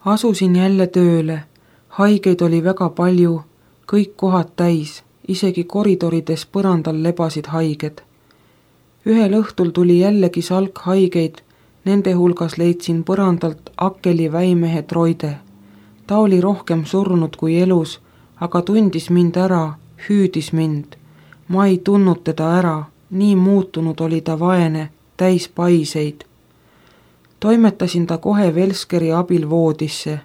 Asusin jälle tööle. Haigeid oli väga palju, kõik kohad täis, isegi koridorides põrandal lebasid haiged. Ühel õhtul tuli jällegi salk haigeid, nende hulgas leidsin põrandalt Akkeli väimehe Troide. Ta oli rohkem surnud kui elus, aga tundis mind ära, hüüdis mind. Ma ei tundnud teda ära, nii muutunud oli ta vaene, täis paiseid. Toimetasin ta kohe Velskeri abil voodisse.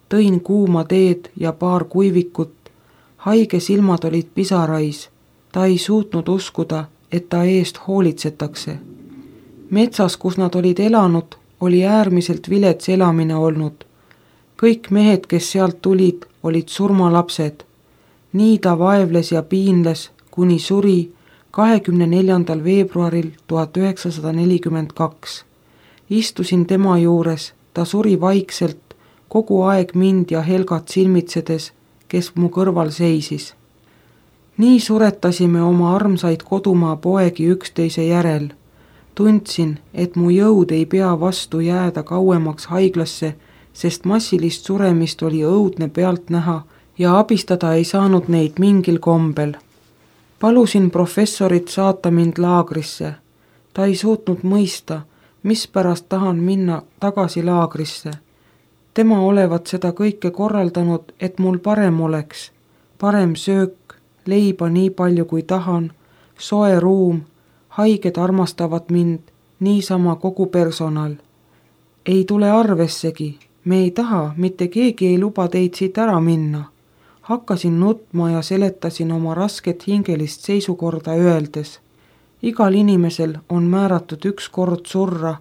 Tõin kuuma teed ja paar kuivikut. Haige silmad olid pisarais. Ta ei suutnud uskuda, et ta eest hoolitsetakse. Metsas, kus nad olid elanud, oli äärmiselt vilets elamine olnud. Kõik mehed, kes sealt tulid, olid surmalapsed. Nii ta vaevles ja piinles, kuni suri 24. veebruaril 1942. Istusin tema juures, ta suri vaikselt, kogu aeg mind ja Helgat silmitsedes, kes mu kõrval seisis. Nii suretasime oma armsaid kodumaa poegi üksteise järel. Tundsin, et mu jõud ei pea vastu jääda kauemaks haiglasse, sest massilist suremist oli õudne pealt näha ja abistada ei saanud neid mingil kombel. Palusin professorit saata mind laagrisse. Ta ei suutnud mõista, mispärast tahan minna tagasi laagrisse. Tema olevat seda kõike korraldanud, et mul parem oleks. Parem söök, leiba nii palju kui tahan, soe ruum, haiged armastavad mind, niisama kogu personal. Ei tule arvessegi, me ei taha, mitte keegi ei luba teid siit ära minna. Hakkasin nutma ja seletasin oma rasket hingelist seisukorda öeldes. Igal inimesel on määratud üks kord surra,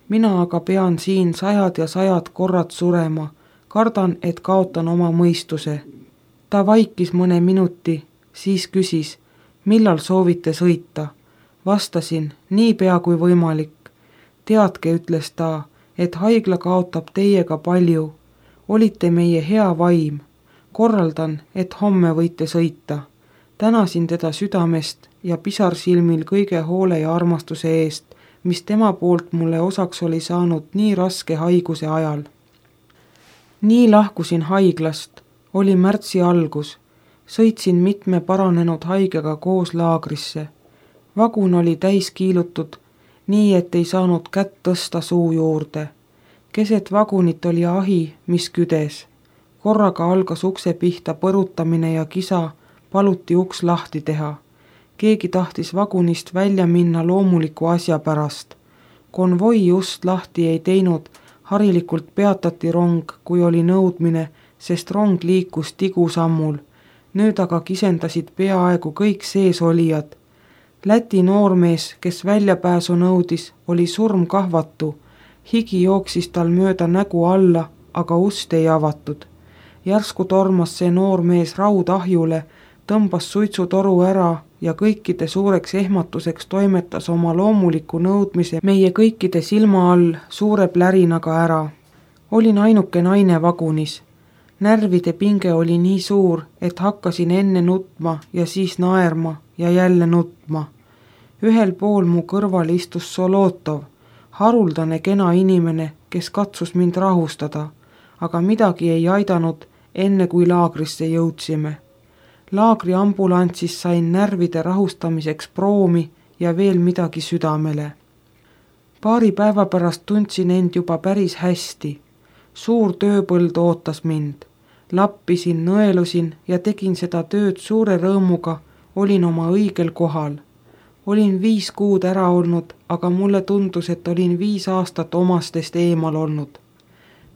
mina aga pean siin 100 ja 100 korrad surema. Kardan, et kaotan oma mõistuse. Ta vaikis mõne minuti, siis küsis, millal soovite sõita. Vastasin, niipea kui võimalik. Teadke, ütles ta, et haigla kaotab teiega palju. Olite meie hea vaim. Korraldan, et homme võite sõita. Tänasin teda südamest ja pisarsilmil kõige hoole ja armastuse eest, mis tema poolt mulle osaks oli saanud nii raske haiguse ajal. Nii lahkusin haiglast, oli märtsi algus. Sõitsin mitme paranenud haigega koos laagrisse. Vagun oli täis kiilutud, nii et ei saanud kätt tõsta suu juurde. Keset vagunit oli ahi, mis küdes. Korraga algas ukse pihta põrutamine ja kisa, paluti uks lahti teha. Keegi tahtis vagunist välja minna loomuliku asja pärast. Konvoi just lahti ei teinud, harilikult peatati rong, kui oli nõudmine, sest rong liikus tigusammul. Nüüd aga kisendasid peaaegu kõik seesolijad. Läti noormees, kes väljapääsu nõudis, oli surmkahvatu. Higi jooksis tal mööda nägu alla, aga ust ei avatud. Järsku tormas see noormees raudahjule, tõmbas suitsutoru ära ja kõikide suureks ehmatuseks toimetas oma loomuliku nõudmise meie kõikide silma all suure plärinaga ära. Olin ainuke naine vagunis. Närvide pinge oli nii suur, et hakkasin enne nutma ja siis naerma ja jälle nutma. Ühel pool mu kõrval istus Solotov, haruldane kena inimene, kes katsus mind rahustada, aga midagi ei aidanud, enne kui laagrisse jõudsime. Laagri ambulantsis sain närvide rahustamiseks proomi ja veel midagi südamele. Paari päeva pärast tundsin end juba päris hästi. Suur tööpõld ootas mind. Lappisin, nõelusin ja tegin seda tööd suure rõõmuga, olin oma õigel kohal. Olin 5 kuud ära olnud, aga mulle tundus, et olin 5 aastat omastest eemal olnud.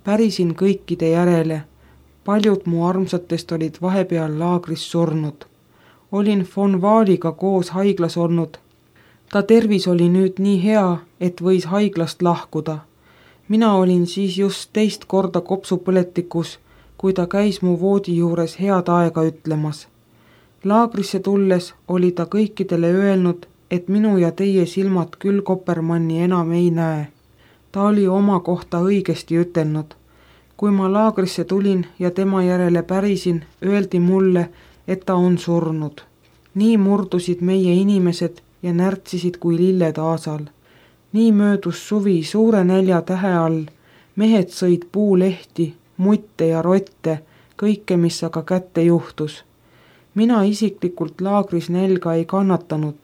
Pärisin kõikide järele. Paljud mu armsatest olid vahepeal laagris surnud. Olin von Vaaliga koos haiglas olnud. Ta tervis oli nüüd nii hea, et võis haiglast lahkuda. Mina olin siis just 2 korda kopsupõletikus, kui ta käis mu voodi juures head aega ütlemas. Laagrisse tulles oli ta kõikidele öelnud, et minu ja teie silmad küll Kopermanni enam ei näe. Ta oli oma kohta õigesti ütelnud. Kui ma laagrisse tulin ja tema järele pärisin, öeldi mulle, et ta on surnud. Nii murdusid meie inimesed ja närtsisid kui lilled aasal. Nii möödus suvi suure nälja tähe all. Mehed sõid puulehti, mutte ja rotte, kõike, mis aga kätte juhtus. Mina isiklikult laagris nälga ei kannatanud,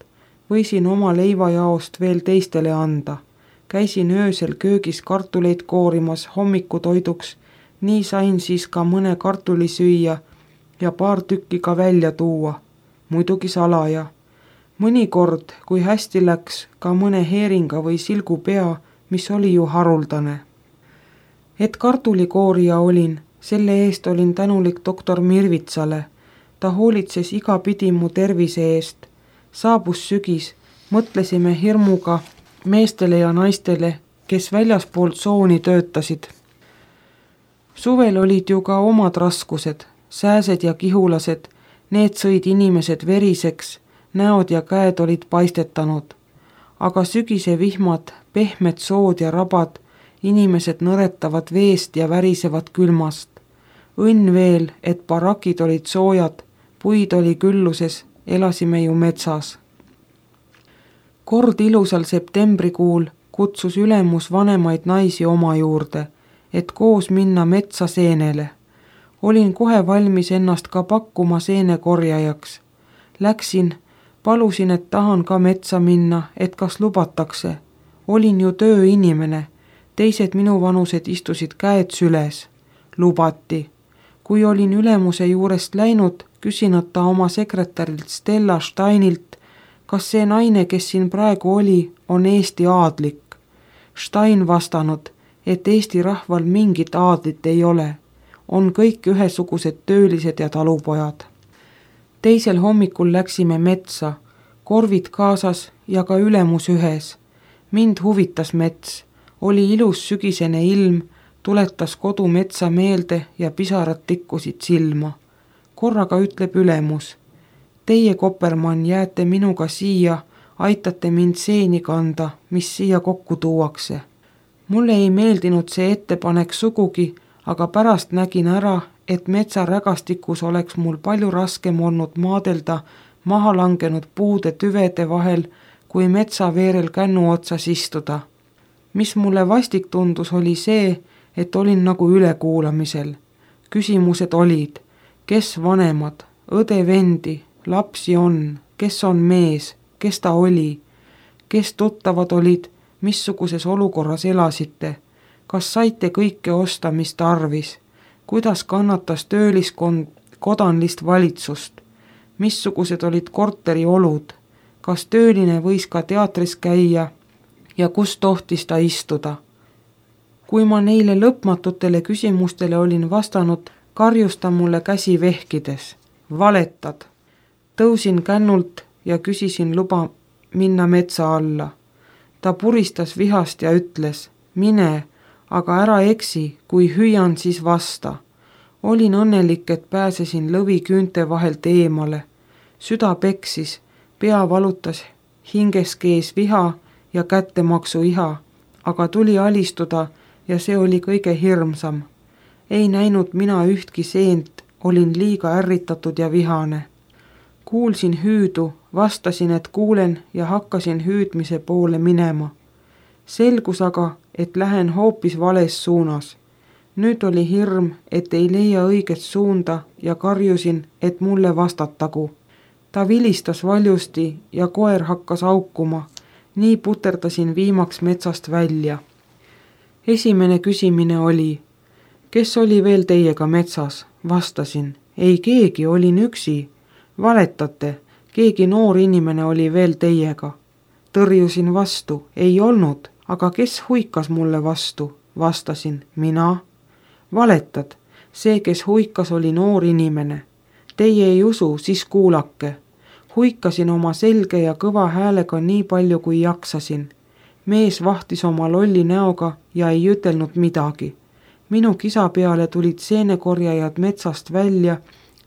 võisin oma leivajaost veel teistele anda. Käisin öösel köögis kartuleid koorimas hommikutoiduks, nii sain siis ka mõne kartuli süüa ja paar tükki ka välja tuua, muidugi salaja. Mõnikord, kui hästi läks, ka mõne heeringa või silgu pea, mis oli ju haruldane. Et kartulikoorija olin, selle eest olin tänulik doktor Mirvitsale. Ta hoolitses igapidi mu tervise eest. Saabus sügis, mõtlesime hirmuga meestele ja naistele, kes väljaspool tsooni töötasid. Suvel olid ju ka omad raskused, sääsed ja kihulased, need sõid inimesed veriseks, näod ja käed olid paistetanud. Aga sügise vihmad, pehmed sood ja rabad, inimesed nõretavad veest ja värisevad külmast. Õnn veel, et barakid olid soojad, puid oli külluses, elasime ju metsas. Kord ilusal septembrikuul kutsus ülemus vanemaid naisi oma juurde, et koos minna metsa seenele. Olin kohe valmis ennast ka pakkuma seenekorjajaks. Läksin, palusin, et tahan ka metsa minna, et kas lubatakse. Olin ju tööinimene, teised minuvanused istusid käed süles. Lubati. Kui olin ülemuse juurest läinud, küsinat ta oma sekretärilt Stella Steinilt, kas see naine, kes siin praegu oli, on Eesti aadlik. Stein vastanud, et Eesti rahval mingit aadlit ei ole. On kõik ühesugused töölised ja talupojad. Teisel hommikul läksime metsa, korvid kaasas ja ka ülemus ühes. Mind huvitas mets, oli ilus sügisene ilm, tuletas kodumetsa meelde ja pisarad tikkusid silma. Korraga ütleb ülemus, teie, Kopermann, jääte minuga siia, aitate mind seeni kanda, mis siia kokku tuuakse. Mulle ei meeldinud see ettepanek sugugi, aga pärast nägin ära, et metsarägastikus oleks mul palju raskem olnud maadelda maha langenud puude tüvede vahel, kui metsaveerel kännu otsas istuda. Mis mulle vastik tundus, oli see, et olin nagu ülekuulamisel. Küsimused olid, kes vanemad, õde-vendi, lapsi on, kes on mees, kes ta oli, kes tuttavad olid, missuguses olukorras elasite, kas saite kõike osta, mis tarvis, kuidas kannatas tööliskond kodanlist valitsust, missugused olid korteri olud, kas tööline võis ka teatris käia ja kus tohtis ta istuda. Kui ma neile lõpmatutele küsimustele olin vastanud, karjus ta mulle käsi vehkides. Valetad. Tõusin kännult ja küsisin luba minna metsa alla. Ta puristas vihast ja ütles, mine, aga ära eksi, kui hüüan, siis vasta. Olin õnnelik, et pääsesin lõvi küünte vahelt eemale. Süda peksis, pea valutas, hinges kees viha ja kättemaksu iha, aga tuli alistuda ja see oli kõige hirmsam. Ei näinud mina ühtki seent, olin liiga ärritatud ja vihane. Kuulsin hüüdu, vastasin, et kuulen ja hakkasin hüüdmise poole minema. Selgus aga, et lähen hoopis vales suunas. Nüüd oli hirm, et ei leia õiget suunda ja karjusin, et mulle vastatagu. Ta vilistas valjusti ja koer hakkas aukuma, nii puterdasin viimaks metsast välja. Esimene küsimine oli, kes oli veel teiega metsas? Vastasin, ei keegi, olin üksi. Valetate, keegi noor inimene oli veel teiega. Tõrjusin vastu, ei olnud, aga kes huikas mulle vastu? Vastasin, mina. Valetad, see, kes huikas, oli noor inimene. Teie ei usu, siis kuulake. Huikasin oma selge ja kõva häälega nii palju, kui jaksasin. Mees vahtis oma lolli näoga ja ei ütelnud midagi. Minu kisa peale tulid seenekorjajad metsast välja,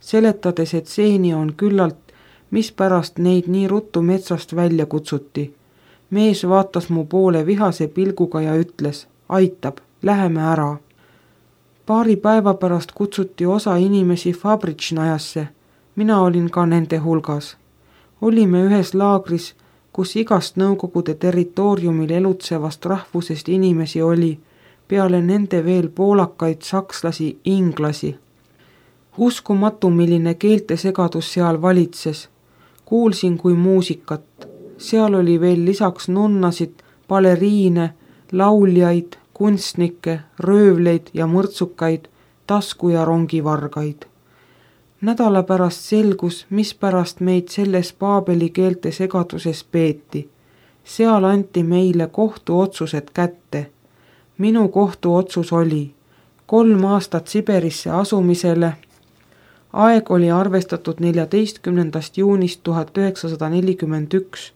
seletades, et seeni on küllalt, mispärast neid nii ruttu metsast välja kutsuti. Mees vaatas mu poole vihase pilguga ja ütles, aitab, läheme ära. Paari päeva pärast kutsuti osa inimesi Fabritšnajasse, mina olin ka nende hulgas. Olime ühes laagris, kus igast Nõukogude territooriumil elutsevast rahvusest inimesi oli, peale nende veel poolakaid, sakslasi, inglasi. Uskumatu, milline keeltesegadus seal valitses. Kuulsin kui muusikat. Seal oli veel lisaks nunnasid, baleriine, lauljaid, kunstnikke, röövleid ja mõrtsukaid, tasku- ja rongivargaid. Nädala pärast selgus, mispärast meid selles paabeli keelte segaduses peeti. Seal anti meile kohtuotsused kätte. Minu kohtuotsus oli 3 aastat Siberisse asumisele. Aeg oli arvestatud 14. juunist 1941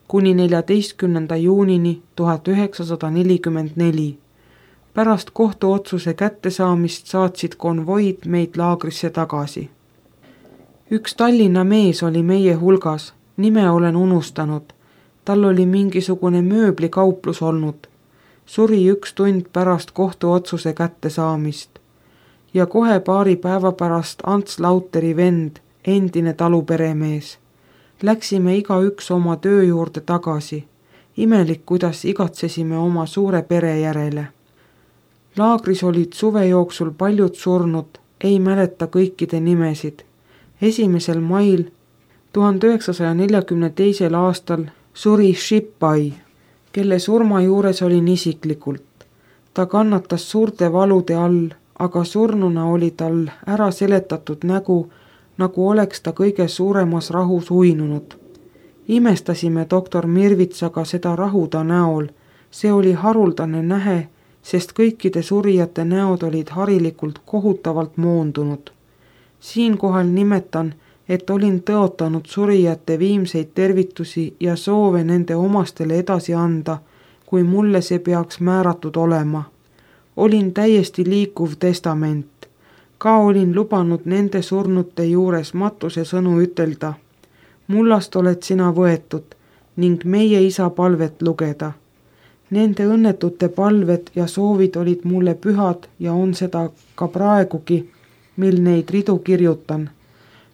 kuni 14. juunini 1944. Pärast kohtuotsuse kättesaamist saatsid konvoid meid laagrisse tagasi. Üks Tallinna mees oli meie hulgas, nime olen unustanud. Tal oli mingisugune mööblikauplus olnud. Suri 1 tund pärast kohtuotsuse kättesaamist. Ja kohe paari päeva pärast Ants Lauteri vend, endine taluperemees. Läksime igaüks oma töö juurde tagasi. Imelik, kuidas igatsesime oma suure pere järele. Laagris olid suve jooksul paljud surnud, ei mäleta kõikide nimesid. 1. mail 1942. aastal suri Šipai, kelle surma juures olin isiklikult. Ta kannatas suurte valude all, aga surnuna oli tal ära seletatud nägu, nagu oleks ta kõige suuremas rahus uinunud. Imestasime doktor Mirvitsaga seda rahuda näol. See oli haruldane nähe, sest kõikide surijate näod olid harilikult kohutavalt moondunud. Siinkohal nimetan, et olin tõotanud surijate viimseid tervitusi ja soove nende omastele edasi anda, kui mulle see peaks määratud olema. Olin täiesti liikuv testament. Ka olin lubanud nende surnute juures matuse sõnu ütelda. Mullast oled sina võetud ning meie isa palvet lugeda. Nende õnnetute palved ja soovid olid mulle pühad ja on seda ka praegugi, mil neid ridu kirjutan.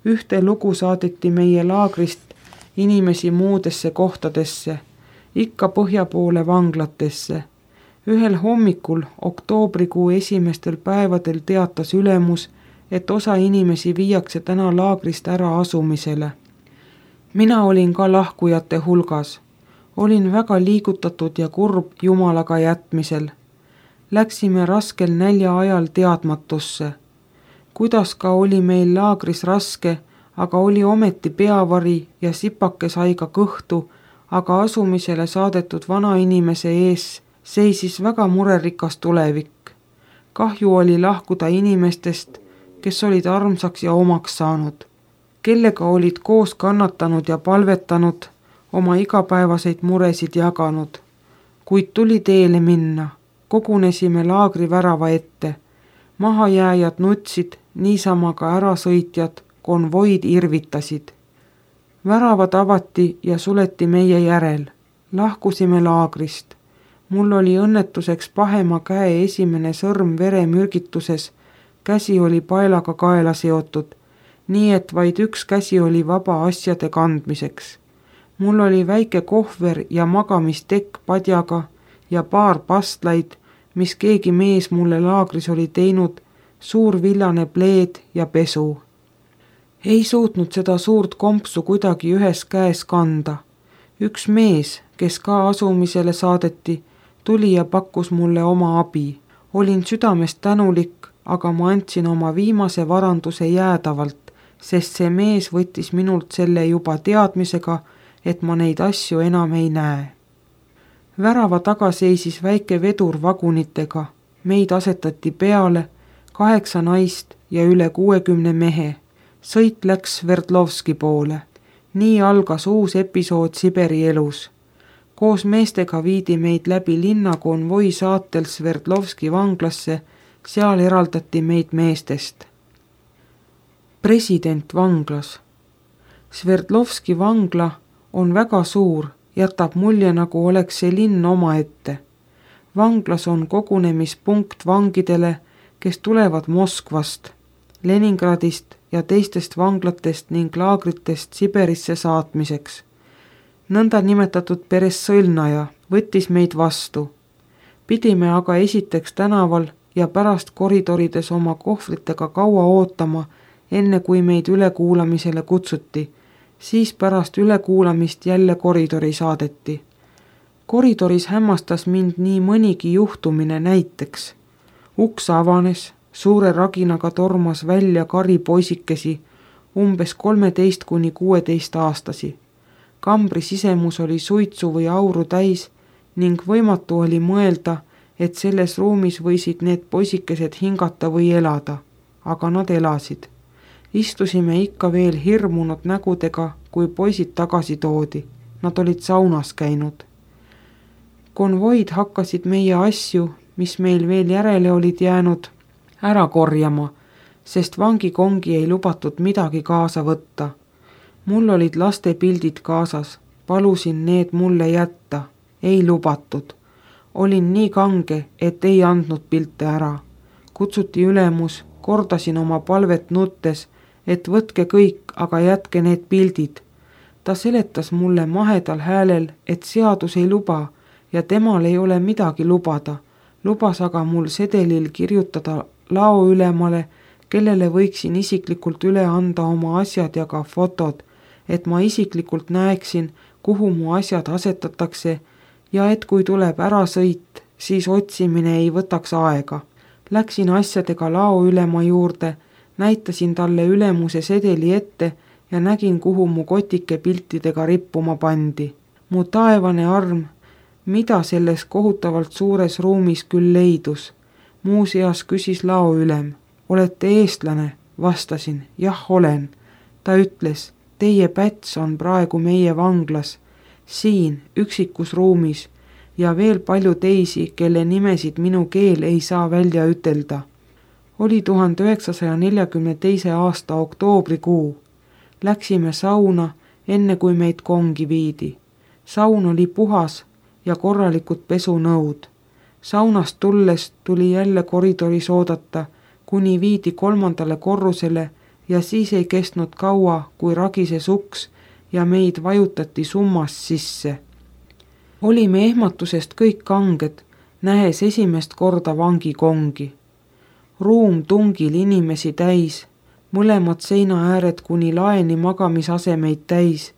Ühte lugu saadeti meie laagrist inimesi muudesse kohtadesse, ikka põhja poole vanglatesse. Ühel hommikul oktoobrikuu esimestel päevadel teatas ülemus, et osa inimesi viiakse täna laagrist ära asumisele. Mina olin ka lahkujate hulgas. Olin väga liigutatud ja kurb Jumalaga jätmisel. Läksime raskel nälja ajal teadmatusse. Kuidas ka oli meil laagris raske, aga oli ometi peavari ja sipake sai ka kõhtu, aga asumisele saadetud vanainimese ees seisis väga murerikas tulevik. Kahju oli lahkuda inimestest, kes olid armsaks ja omaks saanud, kellega olid koos kannatanud ja palvetanud, oma igapäevaseid muresid jaganud. Kuid tuli teele minna, kogunesime laagri värava ette. Mahajääjad nutsid, niisama ka ärasõitjad, konvoid irvitasid. Väravad avati ja suleti meie järel. Lahkusime laagrist. Mul oli õnnetuseks pahema käe esimene sõrm veremürgituses, käsi oli paelaga kaela seotud, nii et vaid üks käsi oli vaba asjade kandmiseks. Mul oli väike kohver ja magamistekk padjaga ja paar pastlaid, mis keegi mees mulle laagris oli teinud, suur villane pleed ja pesu. Ei suutnud seda suurt kompsu kuidagi ühes käes kanda. Üks mees, kes ka asumisele saadeti, tuli ja pakkus mulle oma abi. Olin südamest tänulik, aga ma andsin oma viimase varanduse jäädavalt, sest see mees võttis minult selle juba teadmisega, et ma neid asju enam ei näe. Värava taga seisis väike vedur vagunitega. Meid asetati peale, 8 naist ja üle 60 mehe. Sõit läks Sverdlovski poole. Nii algas uus episood Siberi elus. Koos meestega viidi meid läbi linna konvoi saatel Sverdlovski vanglasse, seal eraldati meid meestest. President vanglas. Sverdlovski vangla on väga suur, jätab mulje, nagu oleks see linn omaette. Vanglas on kogunemispunkt vangidele, kes tulevad Moskvast, Leningradist ja teistest vanglatest ning laagritest Siberisse saatmiseks. Nõnda nimetatud Peresõlnaja võttis meid vastu. Pidime aga esiteks tänaval ja pärast koridorides oma kohvritega kaua ootama, enne kui meid ülekuulamisele kutsuti, siis pärast ülekuulamist jälle koridori saadeti. Koridoris hämmastas mind nii mõnigi juhtumine, näiteks uks avanes, suure raginaga tormas välja kari poisikesi, umbes 13–16 Kambri sisemus oli suitsu või auru täis ning võimatu oli mõelda, et selles ruumis võisid need poisikesed hingata või elada, aga nad elasid. Istusime ikka veel hirmunud nägudega, kui poisid tagasi toodi. Nad olid saunas käinud. Konvoid hakkasid meie asju, mis meil veel järele olid jäänud, ära korjama, sest vangikongi ei lubatud midagi kaasa võtta. Mul olid laste pildid kaasas, palusin need mulle jätta, ei lubatud. Olin nii kange, et ei andnud pilte ära. Kutsuti ülemus, kordasin oma palvet nuttes, et võtke kõik, aga jätke need pildid. Ta seletas mulle mahedal häälel, et seadus ei luba ja temal ei ole midagi lubada. Lubas aga mul sedelil kirjutada laoülemale, kellele võiksin isiklikult üle anda oma asjad ja ka fotod, et ma isiklikult näeksin, kuhu mu asjad asetatakse ja et kui tuleb ärasõit, siis otsimine ei võtaks aega. Läksin asjadega laoülema juurde, näitasin talle ülemuse sedeli ette ja nägin, kuhu mu kotike piltidega rippuma pandi. Mu taevane arm, mida selles kohutavalt suures ruumis küll leidus. Muuseas küsis laoülem, olete eestlane? Vastasin, jah olen. Ta ütles, teie päts on praegu meie vanglas, siin üksikus ruumis ja veel palju teisi, kelle nimesid minu keel ei saa välja ütelda. Oli 1942. aasta oktoobrikuu. Läksime sauna, enne kui meid kongi viidi. Saun oli puhas ja korralikud pesunõud. Saunast tulles tuli jälle koridoris oodata, kuni viidi 3. korrusele ja siis ei kestnud kaua, kui ragises uks ja meid vajutati summas sisse. Olime ehmatusest kõik kanged, nähes esimest korda vangikongi. Ruum tungil inimesi täis, mõlemad seina ääred kuni laeni magamisasemeid täis,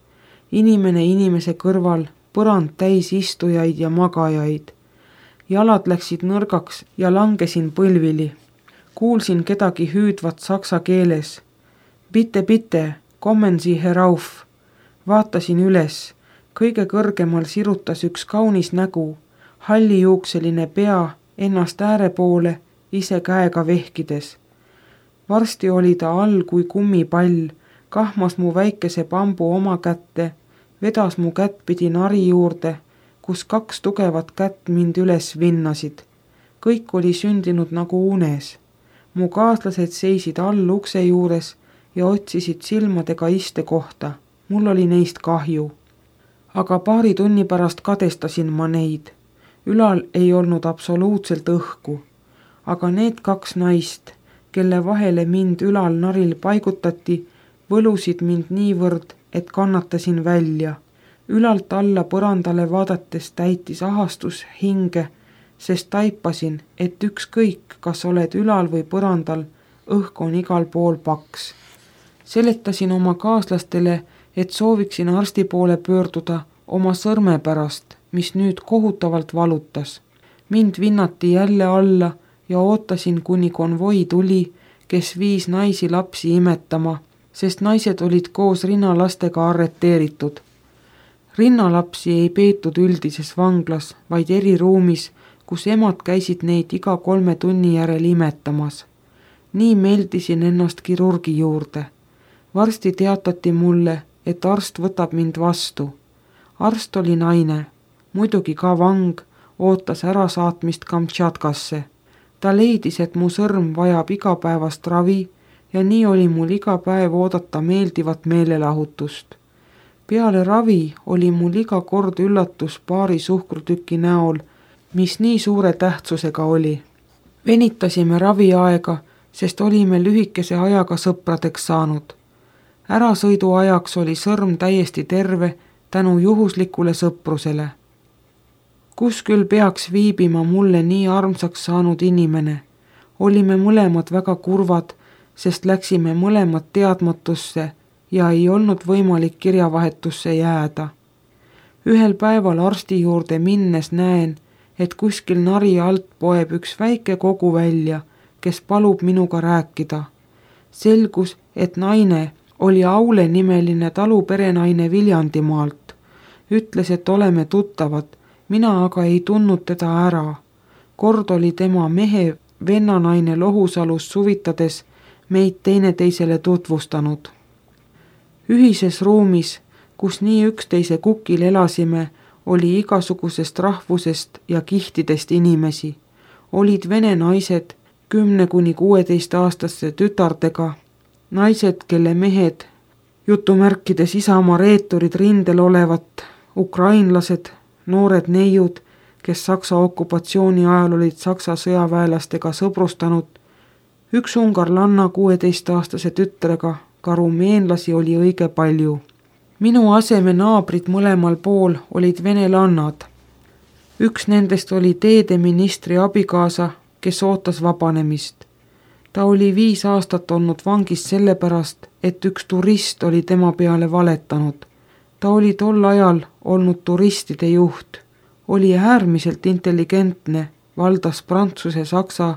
inimene inimese kõrval, põrand täis istujaid ja magajaid. Jalad läksid nõrgaks ja langesin põlvili. Kuulsin kedagi hüüdvat saksa keeles. Bitte, kommen Sie herauf. Vaatasin üles. Kõige kõrgemal sirutas üks kaunis nägu, hallijuukseline pea ennast ääre poole, ise käega vehkides. Varsti oli ta all kui kummipall, kahmas mu väikese bambu oma kätte, vedas mu kättpidi nari juurde, kus 2 tugevat kätt mind üles vinnasid. Kõik oli sündinud nagu unes. Mu kaaslased seisid all ukse juures ja otsisid silmadega istekohta. Mul oli neist kahju. Aga paari tunni pärast kadestasin ma neid. Ülal ei olnud absoluutselt õhku. Aga need 2 naist, kelle vahele mind ülal naril paigutati, võlusid mind niivõrd, et kannatasin välja. Ülalt alla põrandale vaadates täitis ahastus hinge, sest taipasin, et ükskõik, kas oled ülal või põrandal, õhk on igal pool paks. Seletasin oma kaaslastele, et sooviksin arsti poole pöörduda oma sõrme pärast, mis nüüd kohutavalt valutas. Mind vinnati jälle alla ja ootasin, kuni konvoi tuli, kes viis naisi lapsi imetama, sest naised olid koos rinnalastega arreteeritud. Rinnalapsi ei peetud üldises vanglas, vaid eriruumis, kus emad käisid neid iga 3 tunni järel imetamas. Nii meldisin ennast kirurgi juurde. Varsti teatati mulle, et arst võtab mind vastu. Arst oli naine, muidugi ka vang, ootas ärasaatmist Kamtšatkasse. Ta leidis, et mu sõrm vajab igapäevast ravi ja nii oli mul iga päev oodata meeldivat meelelahutust. Peale ravi oli mul iga kord üllatus paari suhkrutüki näol, mis nii suure tähtsusega oli. Venitasime raviaega, sest olime lühikese ajaga sõpradeks saanud. Ärasõidu ajaks oli sõrm täiesti terve tänu juhuslikule sõprusele. kus küll peaks viibima mulle nii armsaks saanud inimene. Olime mõlemad väga kurvad, sest läksime mõlemad teadmatusse ja ei olnud võimalik kirjavahetusse jääda. Ühel päeval arsti juurde minnes näen, et kuskil nari alt poeb üks väike kogu välja, kes palub minuga rääkida. Selgus, et naine oli Aule nimeline taluperenaine Viljandimaalt. Ütles, et oleme tuttavad, mina aga ei tundnud teda ära. Kord oli tema mehe vennanaine Lohusalus suvitades meid teineteisele tutvustanud. Ühises ruumis, kus nii üksteise kukil elasime, oli igasugusest rahvusest ja kihtidest inimesi. Olid vene naised 10–16-aastaste tütardega, naised, kelle mehed, jutumärkides Isamaa reeturid rindel olevat, ukrainlased, noored neiud, kes Saksa okupatsiooni ajal olid Saksa sõjaväelastega sõbrustanud, üks ungarlanna 16-aastase tütrega, ka rumeenlasi oli õige palju. Minu aseme naabrid mõlemal pool olid venelannad. Üks nendest oli teedeministri abikaasa, kes ootas vabanemist. Ta oli 5 aastat olnud vangis sellepärast, et üks turist oli tema peale valetanud. Ta oli tol ajal olnud turistide juht. Oli äärmiselt intelligentne, valdas prantsuse, saksa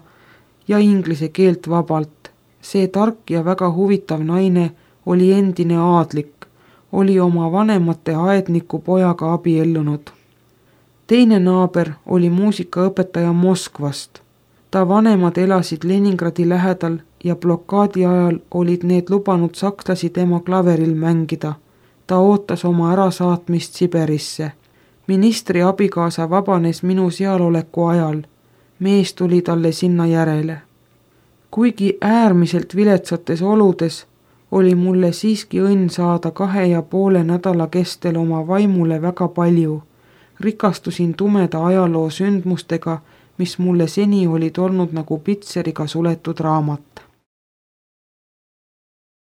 ja inglise keelt vabalt. See tark ja väga huvitav naine oli endine aadlik, oli oma vanemate aedniku pojaga abiellunud. Teine naaber oli muusikaõpetaja Moskvast. Ta vanemad elasid Leningradi lähedal ja blokaadi ajal olid need lubanud sakslasi tema klaveril mängida. Ta ootas oma ärasaatmist Siberisse. Ministri abikaasa vabanes minu sealoleku ajal. Mees tuli talle sinna järele. Kuigi äärmiselt viletsates oludes oli mulle siiski õnn saada 2,5 nädala kestel oma vaimule väga palju. Rikastusin tumeda ajaloo sündmustega, mis mulle seni olid olnud nagu pitseriga suletud raamat.